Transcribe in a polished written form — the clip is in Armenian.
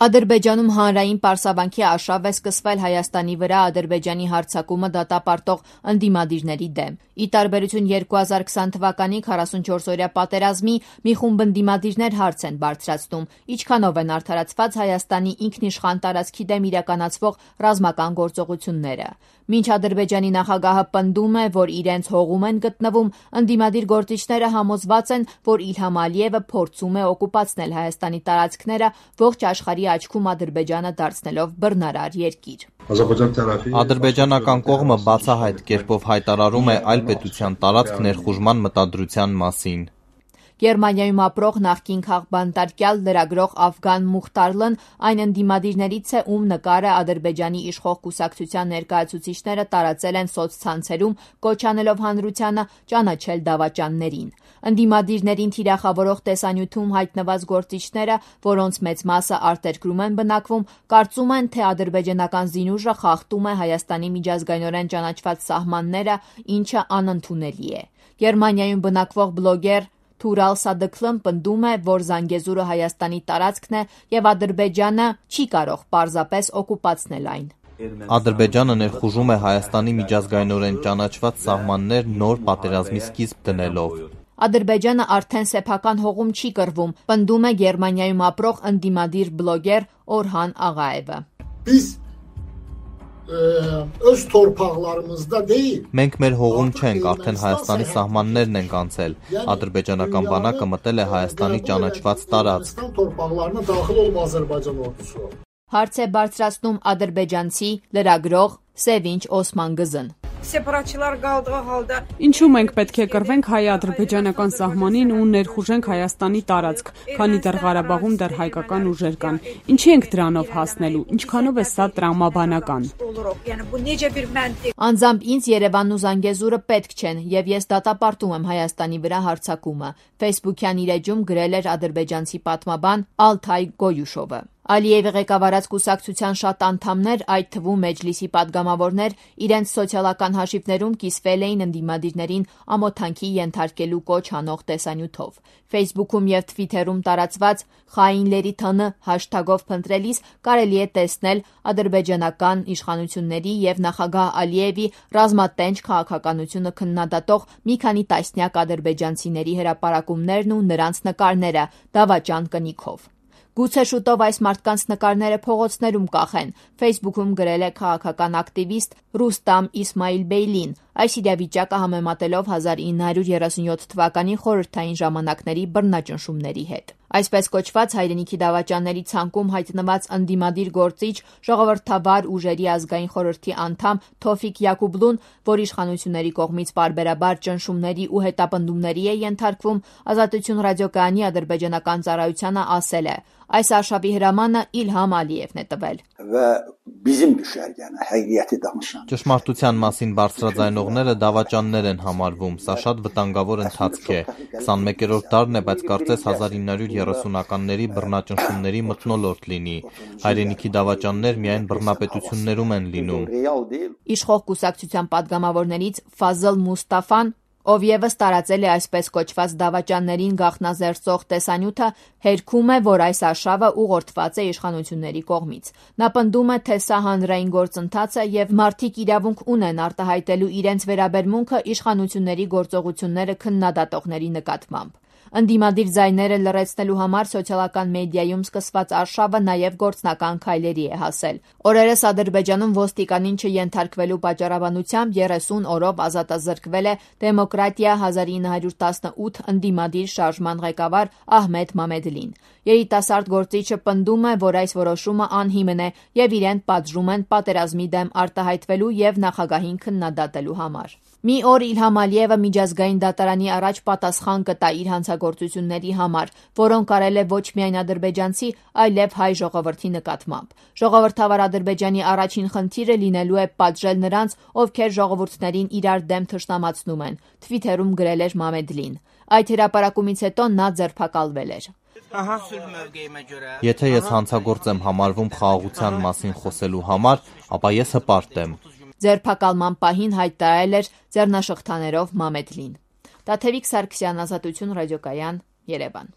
Ադրբեջանում հանրային պարսավանքի արշավ է սկսվել Հայաստանի վրա Ադրբեջանի հարձակումը դատապարտող ընդդիմադիրների դեմ։ Ի տարբերություն 2020 թվականի 44-օրյա պատերազմի, մի խումբ ընդդիմադիրներ հարց են բարձրացնում, ինչքանով են արդարացված Հայաստանի ինքնիշխան տարածքի դեմ իրականացվող ռազմական գործողությունները։ Մինչ Ադրբեջանի նախագահը պնդում է, որ իրենց հողում են գտնվում, ընդդիմադիր գործիչները համոզված են, որ Իլհամ Ալիևը փորձում է օկուպացնել Հայաստանի տարածքները, ողջ աշխարհի աչքում Ադրբեջանը դարձնելով բռնարար երկիր։ Ադրբեջանական կողմը բացահայտ կերպով հայտարարում է այլ պետության տարածք ներխուժման մտադրության մասին։ Գերմանիայում ապրող նախկին քաղբանտարկյալ լրագրող Աֆգան Մուխտարլն այն ընդդիմադիրներից է, ում նկարը Ադրբեջանի իշխող կուսակցության ներկայացուցիչները տարածել են սոցցանցերում, կոչ անելով հանրությանը ճանաչել դավաճաններին։ Ընդդիմադիրներին թիրախավորող տեսանյութում հայտնված գործիչները, որոնց մեծ մասը արտերկրում են բնակվում, կարծում են, թե ադրբեջանական զինուժը խախտում է Հայաստանի միջազգայնորեն ճանաչված սահմանները, ինչը անընդունելի է։ Գերմանիայում բնակվող բլոգեր Թուրալ Սադքլն պնդում է, որ Զանգեզուրը Հայաստանի տարածքն է եւ Ադրբեջանը չի կարող պարզապես օկուպացնել այն։ Ադրբեջանը ներխուժում է Հայաստանի միջազգայնորեն ճանաչված սահմաններ նոր պատերազմի սկիզբ դնելով։ Ադրբեջանը արդեն սեփական հողում չի կռվում, պնդում է Գերմանիայում ապրող ընդդիմադիր բլոգեր Օրհան Աղաևը։ Öz torpaqlarımızda deyil։ Մենք մեր հողում չենք, արդեն Հայաստանի սահմաններն ենք անցել։ Ադրբեջանական բանակը մտել է Հայաստանի ճանաչված տարածք։ Հարց է բարձրացնում ադրբեջանցի լրագրող Սևինչ Օսմանգզն։ Ինչու մենք պետք է կռվենք հայ-ադրբեջանական սահմանին ու ներխուժենք Հայաստանի տարածք, քանի դեռ Ղարաբաղում դեռ հայկական ուժեր կան։ Ինչի ենք դրանով հասնելու, ինչքանով է սա տրամաբանական։ Անձամբ ինձ Երևանն ու Զանգեզուրը պետք չեն, եւ ես դատապարտում եմ Հայաստանի վրա հարձակումը, Facebook-յան իր էջում գրել էր ադրբեջանցի պատմաբան Ալթայ Գոյուշովը։ Ալիևի ղեկավարած կուսակցության շատ անդամներ, այդ թվում Մեջլիսի падգամավորներ, իրենց սոցիալական հաշիվներում կիսվել էին ընդդիմադիրներին ամոթանքի ենթարկելու կոչ անող տեսանյութով։ Facebook-ում եւ Twitter-ում տարածված «Խայինների թն» հաշթագով փնտրելիս կարելի է տեսնել ադրբեջանական իշխանությունների եւ նախագահ Ալիևի ռազմատենչ քաղաքականությունը քննադատող մի քանի տասնյակ ադրբեջանցիների հրապարակումներն ու նրանց նկարները դավաճան կնիքով։ Գուցե շուտով այս մարդկանց նկարները փողոցներում կախեն, Facebook-ում գրել է քաղաքական ակտիվիստ Ռուստամ Իսմայիլբեյլին, այս իրավիճակը համեմատելով 1937 թվականի խորհրդային ժամանակների բռնաճնշումների հետ։ Այսպես կոչված հայրենիքի դավաճանների ցանկում հայտնված ընդդիմադիր գործիչ ժողովրդավար ուժերի ազգային խորհրդի անդամ Թոֆիկ Յակուբլուն, որ իշխանությունների կողմից պարբերաբար ճնշումների ու հետապնդումների է ենթարկվում, Ազատություն ռադիոկայանի ադրբեջանական ծառայությանը ասել է. այս արշավի հրամանը Իլհամ Ալիևն է տվել։ Ճշմարտության մասին բարձրաձայնողները դավաճաններ են համարվում, սա շատ վտանգավոր ընթացք է։ 21-րդ դարն է, բայց կարծես 1930-ականների բռնաճնշումների մթնոլորտ լինի։ Հայրենիքի դավաճաններ միայն բռնապետություններում են լինում։ Իշխող կուսակցության падգամավորներից Ֆազլ Մուստաֆան, ով ևս տարածել է այսպես կոչված դավաճաններին գաղտնազերծող տեսանյութը, հերքում է, որ այս արշավը ուղղորդված է իշխանությունների կողմից։ Նա պնդում է, թե սա հանրային գործընթաց է եւ մարդիկ իրավունք ունեն արտահայտելու իրենց վերաբերմունքը իշխանությունների գործողությունները քննադատողների նկատմամբ։ Ընդդիմադիր ձայները լռեցնելու համար սոցիալական մեդիայում սկսված արշավը նաև գործնական քայլերի է հասել։ Օրերս Ադրբեջանում ոստիկանին չենթարկվելու պատճառաբանությամբ 30 օրով ազատազրկվել է Դեմոկրատիա 1918 ընդդիմադիր շարժման ղեկավար Ահմեդ Մամեդլին։ Երիտասարդ գործիչը պնդում է, որ այս որոշումը անհիմն է եւ իրեն պատժում են պատերազմի դեմ արտահայտվելու եւ նախագահին քննադատելու համար։ Մի օր Իլհամ Ալիևը միջազգային դատարանի առաջ պատասխան կտա իր հանցագործությունների համար, որոնք արել է ոչ միայն ադրբեջանցի, այլև հայ ժողովրդի նկատմամբ։ Ժողովրդավար Ադրբեջանի առաջին խնդիրը լինելու է պատժել նրանց, ովքեր ժողովուրդներին իրար դեմ թշնամացնում են, Twitter-ում գրել էր Մամեդլին։ Այդ հրապարակումից հետո նա ձերբակալվել էր։ Եթե ես հանցագործ եմ համարվում խաղաղության մասին խոսելու համար, ապա ես հպարտ եմ։ Ձերբակալման պահին հայտարարել էր ձեռնաշղթաներով Մամեդլին։ Տաթևիկ Սարգսյան, Ազատություն ռադիոկայան, Երևան։